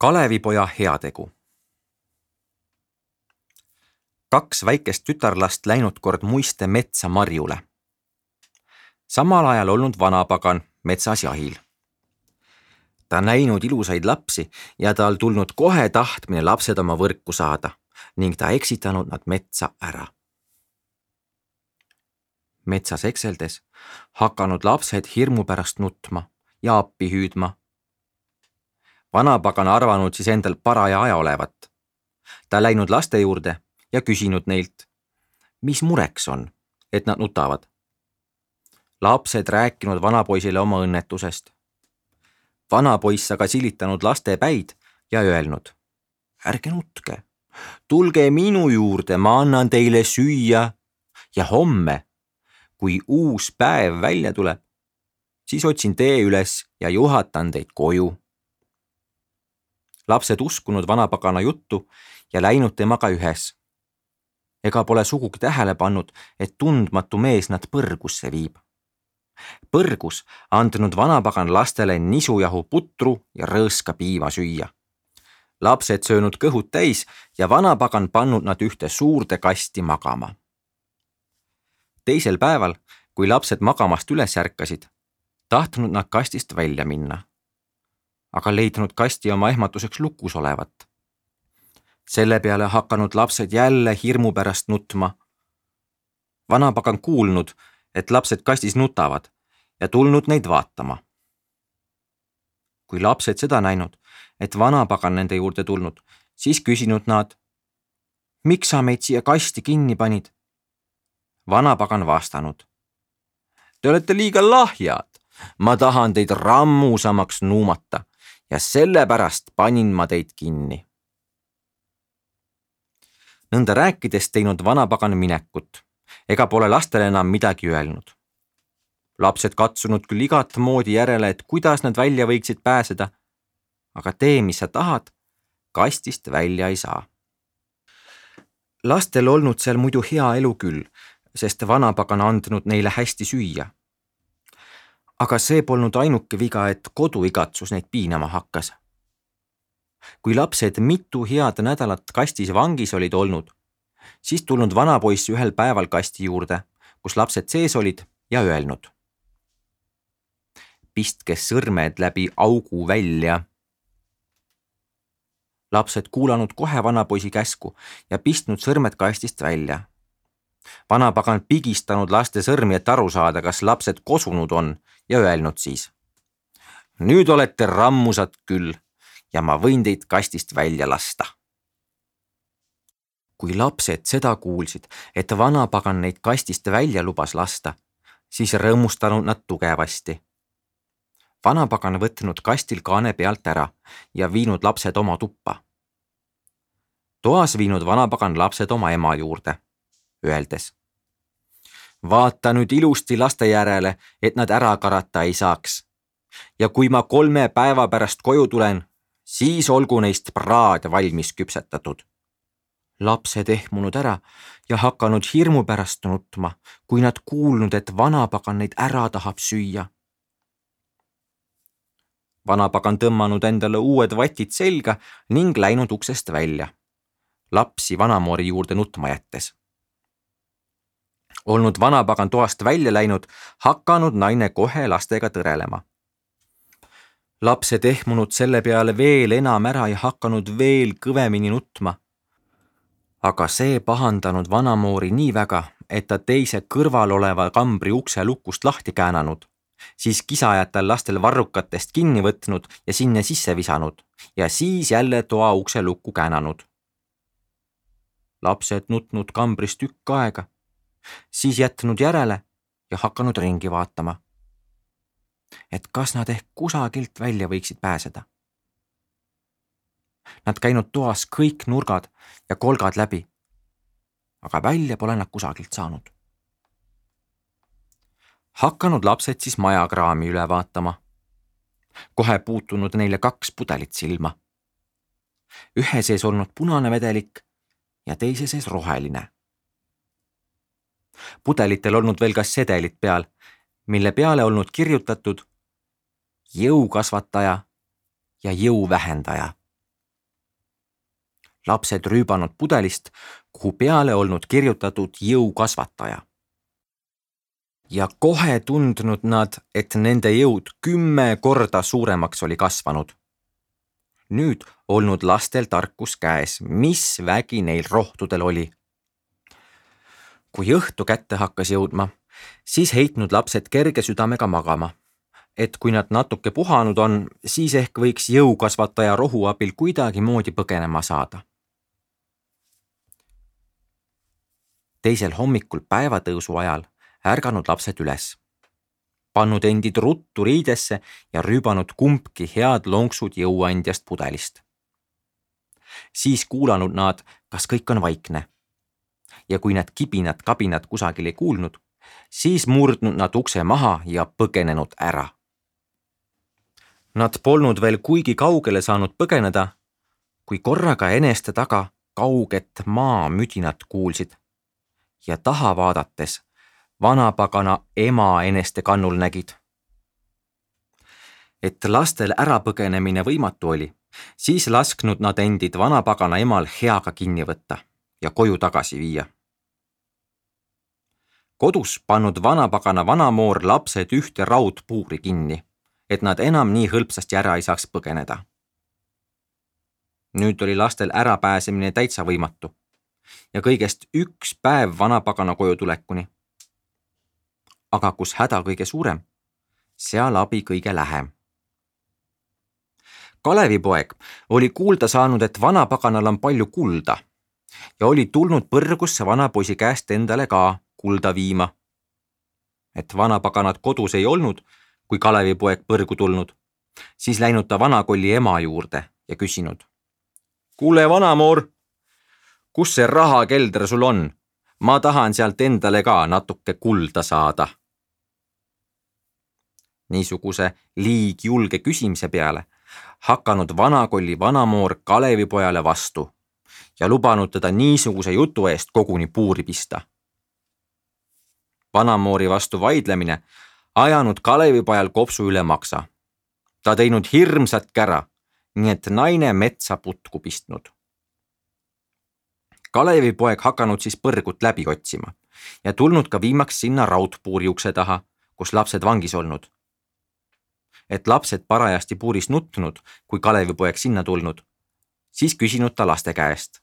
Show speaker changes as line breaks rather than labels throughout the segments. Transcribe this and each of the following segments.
Kalevipoja heategu. 2 väikest tütarlast läinud kord muiste metsa marjule. Samal ajal olnud vanapagan metsas jahil. Ta näinud ilusaid lapsi ja tal tulnud kohe tahtmine lapsed oma võrku saada ning ta eksitanud nad metsa ära. Metsas ekseldes hakanud lapsed hirmu pärast nutma ja appi hüüdma. Vanapagan arvanud siis endal paraja aja olevat. Ta läinud laste juurde ja küsinud neilt, mis mureks on, et nad nutavad. Lapsed rääkinud vanapoisile oma õnnetusest. Vanapoiss aga silitanud laste päid ja öelnud, ärge nutke, tulge minu juurde, ma annan teile süüa ja homme, kui uus päev välja tuleb, siis otsin tee üles ja juhatan teid koju. Lapsed uskunud vanapagana juttu ja läinud temaga ühes. Ega pole sugugi tähele pannud, et tundmatu mees nad põrgusse viib. Põrgus andnud vanapagan lastele nisujahu putru ja rõõska piima süüa. Lapsed söönud kõhud täis ja vanapagan pannud nad ühte suurde kasti magama. Teisel päeval, kui lapsed magamast üles ärkasid, tahtnud nad kastist välja minna, aga leidnud kasti oma ehmatuseks lukus olevat. Selle peale hakanud lapsed jälle hirmu pärast nutma. Vanapagan kuulnud, et lapsed kastis nutavad ja tulnud neid vaatama. Kui lapsed seda näinud, et vanapagan nende juurde tulnud, siis küsinud nad, miks sa meid siia kasti kinni panid? Vanapagan vastanud, te olete liiga lahjad, ma tahan teid rammusamaks nuumata ja sellepärast panin ma teid kinni. Nõnda rääkides teinud vanapagan minekut, ega pole lastele enam midagi öelnud. Lapsed katsunud küll igat moodi järele, et kuidas nad välja võiksid pääseda, aga tee, mis sa tahad, kastist välja ei saa. Lastel olnud seal muidu hea elu küll, sest vanapagan andnud neile hästi süüa. Aga see polnud ainuke viga, et koduigatsus neid piinama hakkas. Kui lapsed mitu head nädalat kastis vangis olid olnud, siis tulnud vanapoiss ühel päeval kasti juurde, kus lapsed sees olid ja öelnud. Pistke sõrmed läbi augu välja. Lapsed kuulanud kohe vanapoisi käsku ja pistnud sõrmed kastist välja. Vanapagan pigistanud laste sõrmi, et aru saada, kas lapsed kosunud on ja öelnud siis. Nüüd olete rammusad küll ja ma võin teid kastist välja lasta. Kui lapsed seda kuulsid, et vanapagan neid kastist välja lubas lasta, siis rõõmustanud nad tugevasti. Vanapagan võtnud kastil kaane pealt ära ja viinud lapsed oma tuppa. Toas viinud vanapagan lapsed oma ema juurde, öeldes. Vaata nüüd ilusti laste järele, et nad ära karata ei saaks. Ja kui ma 3 päeva pärast koju tulen, siis olgu neist praad valmis küpsetatud. Lapsed ehmunud ära ja hakanud hirmu pärast nutma, kui nad kuulnud, et vanapagan neid ära tahab süüa. Vanapagan tõmmanud endale uued vatid selga ning läinud uksest välja. Lapsi vanamoori juurde nutma jättes. Olnud vanapagan toast välja läinud, hakanud naine kohe lastega tõrelema. Lapsed ehmunud selle peale veel enam ära ja hakanud veel kõvemini nutma. Aga see pahandanud vanamoori nii väga, et ta teise kõrval oleva kambri ukse lukust lahti käänanud, siis kisajatel lastel varrukatest kinni võtnud ja sinna sisse visanud ja siis jälle toa ukse lukku käänanud. Lapsed nutnud kambris tükk aega, siis jätnud järele ja hakanud ringi vaatama, et kas nad ehk kusagilt välja võiksid pääseda. Nad käinud toas kõik nurgad ja kolgad läbi, aga välja pole nad kusagilt saanud. Hakanud lapsed siis majakraami üle vaatama. Kohe puutunud neile 2 pudelit silma. Ühe sees olnud punane vedelik ja teise sees roheline. Pudelitel olnud veel ka sedelit peal, mille peale olnud kirjutatud jõukasvataja ja jõuvähendaja. lapsed rüübanud pudelist, kuhu peale olnud kirjutatud jõukasvataja. Ja kohe tundnud nad, et nende jõud 10 korda suuremaks oli kasvanud. Nüüd olnud lastel tarkus käes, mis vägi neil rohtudel oli. Kui õhtu kätte hakkas jõudma, siis heitnud lapsed kerge südamega magama, et kui nad natuke puhanud on, siis ehk võiks jõukasvataja rohu abil kuidagi moodi põgenema saada. Teisel hommikul päevatõusu ajal ärganud lapsed üles, pannud endid ruttu riidesse ja rüübanud kumbki head lonksud jõuandjast pudelist. Siis kuulanud nad, kas kõik on vaikne. Ja kui nad kibinad-kabinad kusagil ei kuulnud, siis murdnud nad ukse maha ja põgenenud ära. Nad polnud veel kuigi kaugele saanud põgeneda, kui korraga eneste taga kauget maamüdinat kuulsid ja taha vaadates vanapagana ema eneste kannul nägid. Et lastel ärapõgenemine võimatu oli, siis lasknud nad endid vanapagana emal heaga kinni võtta ja koju tagasi viia. Kodus pannud vanapagana vanamoor lapsed ühte raudpuuri kinni, et nad enam nii hõlpsasti ära ei saaks põgeneda. Nüüd oli lastel ärapääsemine täitsa võimatu ja kõigest 1 päev vanapagana koju tulekuni. Aga kus häda kõige suurem, seal abi kõige lähem. Kalevipoeg oli kuulda saanud, et vanapaganal on palju kulda ja oli tulnud põrgusse vanapoisi käest endale ka kulda viima. Et vanapaganat kodus ei olnud, kui Kalevipoeg põrgu tulnud, siis läinud ta vanakolli ema juurde ja küsinud. Kuule, vanamoor, kus see rahakelder sul on? Ma tahan sealt endale ka natuke kulda saada. Niisuguse liigjulge küsimise peale hakanud vanakolli vanamoor Kalevipojale vastu ja lubanud teda niisuguse jutu eest koguni puuri pista. Vanamoori vastu vaidlemine ajanud Kalevipojal kopsu üle maksa. Ta teinud hirmsat kära, nii et naine metsa putku pistnud. Kalevipoeg hakanud siis põrgut läbi otsima ja tulnud ka viimaks sinna raudpuuri ukse taha, kus lapsed vangis olnud. Et lapsed parajasti puuris nutnud, kui Kalevipoeg sinna tulnud, siis küsinud ta laste käest.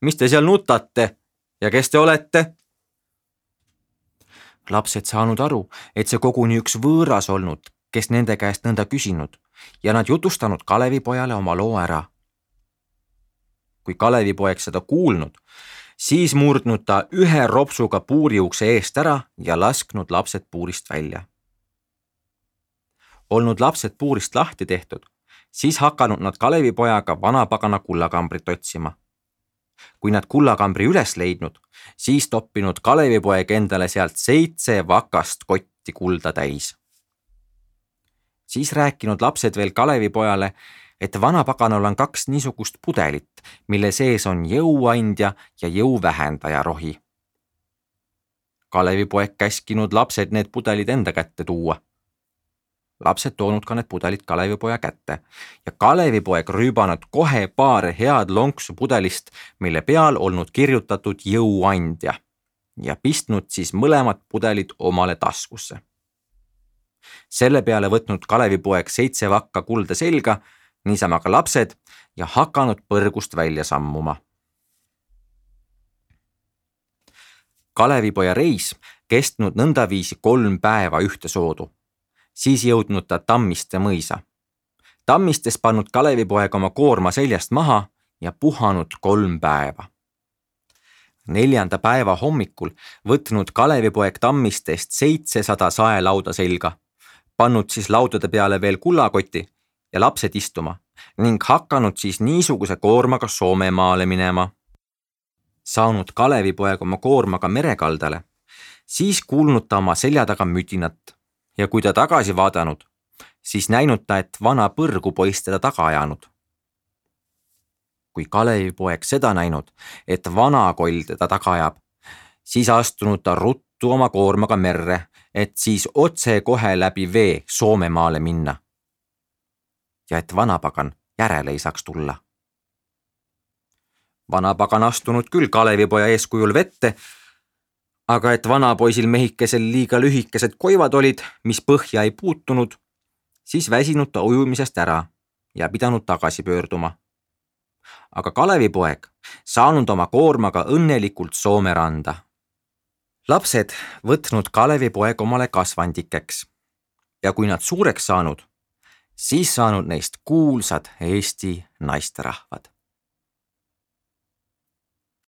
Mis te seal nutate ja kes te olete? Lapsed saanud aru, et see koguni üks võõras olnud, kes nende käest nõnda küsinud ja nad jutustanud Kalevipojale oma loo ära. Kui Kalevipoeg seda kuulnud, siis murdnud ta ühe ropsuga puuri ukse eest ära ja lasknud lapsed puurist välja. Olnud lapsed puurist lahti tehtud, siis hakanud nad Kalevipojaga vanapagana kullakambrit otsima. Kui nad kullakambri üles leidnud, siis toppinud Kalevipoeg endale sealt 7 vakast kotti kulda täis. Siis rääkinud lapsed veel Kalevipojale, et vanapaganal on 2 niisugust pudelit, mille sees on jõuandja ja jõuvähendaja rohi. Kalevipoeg käskinud lapsed need pudelid enda kätte tuua. Lapsed toonud ka need pudelid Kalevipoja kätte ja Kalevipoeg rüübanud kohe paar head lonksu pudelist, mille peal olnud kirjutatud jõuandja ja pistnud siis mõlemad pudelid omale taskusse. Selle peale võtnud Kalevipoeg 7 vakka kulda selga, niisama ka lapsed ja hakanud põrgust välja sammuma. Kalevipoja reis kestnud nõndaviisi 3 päeva ühte soodu. Siis jõudnud ta Tammiste mõisa. Tammistes pannud Kalevipoeg oma koorma seljast maha ja puhanud 3 päeva. 4. päeva hommikul võtnud Kalevipoeg Tammistest 700 saelauda selga, pannud siis laudade peale veel kullakoti ja lapsed istuma ning hakanud siis niisuguse koormaga Soomemaale minema. Saanud Kalevipoeg oma koormaga merekaldale, siis kuulnud ta oma selja taga müdinat ja kui ta tagasi vaadanud, siis näinud ta, et vana põrgupoiss teda taga ajanud. Kui Kalevipoeg seda näinud, et vanakoll teda taga ajab, siis astunud ta ruttu oma koormaga merre, et siis otse kohe läbi vee Soomemaale minna. Ja et vanapagan järele ei saaks tulla. Vanapagan astunud küll Kalevipoja eeskujul vette, aga et vanapoisil mehikesel liiga lühikesed koivad olid, mis põhja ei puutunud, siis väsinud ta ujumisest ära ja pidanud tagasi pöörduma. Aga Kalevipoeg saanud oma koormaga õnnelikult Soome randa. Lapsed võtnud Kalevipoeg omale kasvandikeks ja kui nad suureks saanud, siis saanud neist kuulsad Eesti naisterahvad.